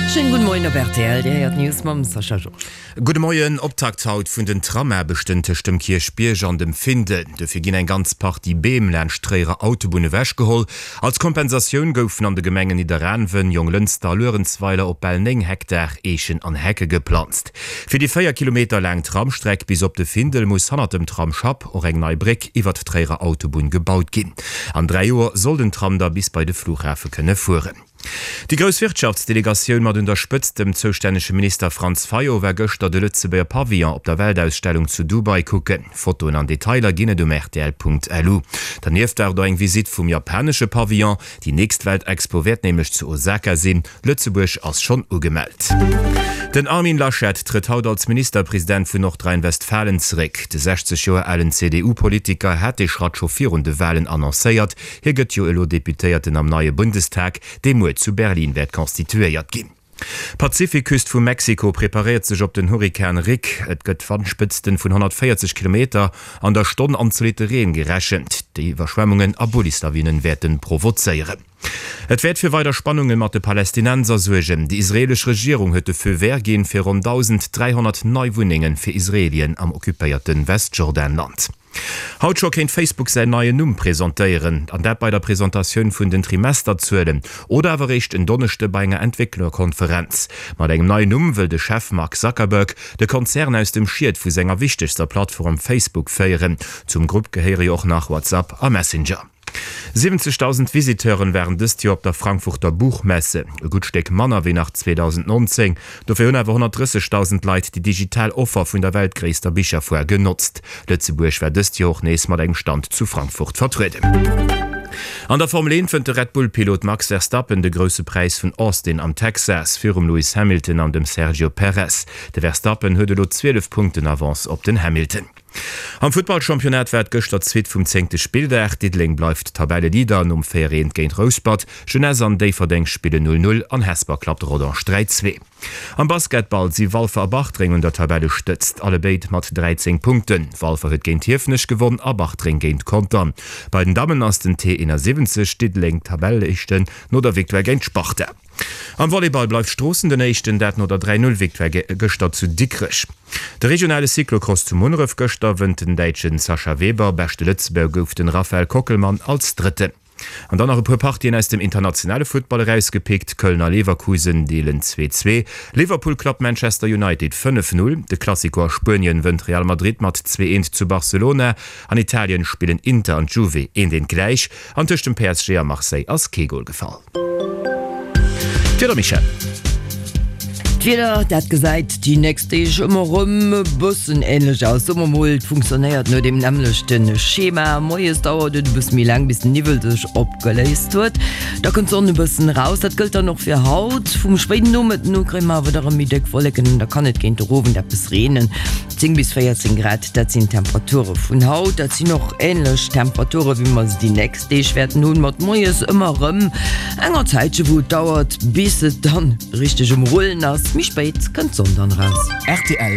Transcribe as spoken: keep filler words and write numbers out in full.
Schéinen gudde Moien op rtl, Dir héiert d'News mam Sascha Georges. Gudde Moien, Optakt haut vun den Tramaarbechten tëscht dem Kierchbierg an dem Findel. Dofir ginn eng ganz Partie Beem laanscht d'Tréierer Autobunn ewechgeholl. Als Kompensatioun goufen an de Gemengen Nidderaanwen, Jonglënster a Luerenzweiler op bal néng Hektar Eechen an Hecke geplanzt. Fir déi véier Kilometer laang Tramstreck bis op de Findel muss hannert dem Tramsschapp och eng nei Bréck iwwert d'Tréierer Autobunn gebaut ginn. An dräi Joer soll den Tram da bis bei de Flughafe kënne fueren. Déi grouss Wirtschaftsdelegatioun mat un der Spëtzt dem zoustännege Minister Franz Fayot war gëschter de Lëtzebuerger Pavillon op der Weltausstellung zu Dubai kucken. Fotoen an Detailer ginn et um rtl.lu. Dernieft war et och eng Visitt vum japanesche Pavillon. Déi nächst Weltexpo wäert nämlech zu Osaka sinn. Lëtzebuerg ass schonn ugemellt. Den Armin Laschet trëtt haut als Ministerpresident vun Nordrhein-Westfalen zeréck. De sechzeg Joer alen C D U-Politiker hat dee Schratt scho virun de Walen annoncéiert. Hie gëtt jo elo Deputéierten am neie Bundestag, dee muer zu Berlin wäert constituéiert ginn. D'Pazifikküst vu Mexiko preparéiert sech op den Hurrikan Rick. Et gëtt Wandspëtzten vun honnertvéierzeg Kilometer an der Stonn an zolitte Reen gerechent, déi Iwwerschwemmungen a Bullislawinen wäerte provozéieren. Et wäert fir weider Spannunge mat de Palästinenser suergen. Déi israeelesch Regierung huet de Feu vert ginn fir ronn dausend dräihonnert nei Wunnenge fir Israelien am occupéierte Westjordanland. Haut scho kéint Facebook säin neien Numm presentéieren, an dat bei der Presentatioun vun den Trimesterzuelen oder awer eréischt en Donneschde bei enger Entwécklerkonferenz. Mat engem neien Numm wëll de Chef Mark Zuckerberg de Konzern aus dem Schiet vu senger wichtegster Plattform Facebook féieren. Zum Grupp gehéiere jo och nach WhatsApp a Messenger. Siwwenzegdausend Visiteuren waren dëst Joer op der Frankfurter Buchmesse, e gutt Stéck manner wéi nach zweedausendnonzéng. Dofir hunn awer honnertdrëssegdausend Leit déi digital Offer vun der weltgréisster Bicherfoire genotzt. Lëtzebuerg war dëst Joer och nees mat engem Stand zu Frankfurt vertrueden. An der Formel eent wënnt de Red Bull-Pilot Max Verstappen de Grousse Präis vun Austin am Texas virum Lewis Hamilton an dem Sergio Perez. De Verstappen huet elo zwielef Punkten Avance op den Hamilton. Am Futtballchampionnat war et gëschter d'Suite vum zéngte Spilldag. Diddeleng bleift Tabelleleader nom véier eent géint Rouspert. Jeunesse an Déifferdeng spillen null null an Hesper klappt Rodange dräi zwee. Am Basketball si Walfer a Bartreng un der Tabellestëtzt, allebéid mat dräizéng Punkten. Walfer huet géint Hiefenech gewonn a Bartreng géint Contern. Bei den Dammen ass den T eenasiwwenzeg Diddeleng Tabelleéischten no der Victoire géint d'Sparta. Am Volleyball bleift Stroossen den Éischten, dat no der dräi null Victoire gëschter zu Dikrech. De regionale Cyclocross zu Munneref gëschter wënnt den Däitschen Sascha Weber, beschte Lëtzebuerger gouf den Raphael Kockelmann als Drëtten. An dann nach e puer Partien aus dem internationale Futtball erausgepickt, Köln a Leverkusen deelen zwee zwee, Liverpool klappt Manchester United fënnef null, de Clasico a Spuenien wënnt Real Madrid mat zwee eent zu Barcelona, an Italien spillen Inter an Juve eent eent gläich an tëscht dem P S G a Marseille ass kee Gol gefall. D'Wieder, Michèle. D'Wieder, dat gesäit déi nächst Deeg ëmmer erëm e bëssen änlech aus. Soe mer mol, et funktionéiert no deem nämmlechte Schema. Moies dauert et e bësse méi laang, bis den Niwwel sech opgeléist huet. Da kënnt d'Sonn e bëssen eraus. Dat gëllt dann och fir haut. Vum spéiden Nomëtten u kréie mer awer da rëm méi déck Wolleken an da kann et géint de Owend eppes reenen. Zéng bis véierzéng Grad, dat sinn d'Temperature vun haut. Dat sinn och änlech Temperature wéi mer se déi nächst Deeg wäerten hunn, mat moies ëmmer erëm enger Zäitche wou et dauert, bis et dann richteg um Rullen ass. Méi spéit kënnt d'Sonn dann eraus. Rtl.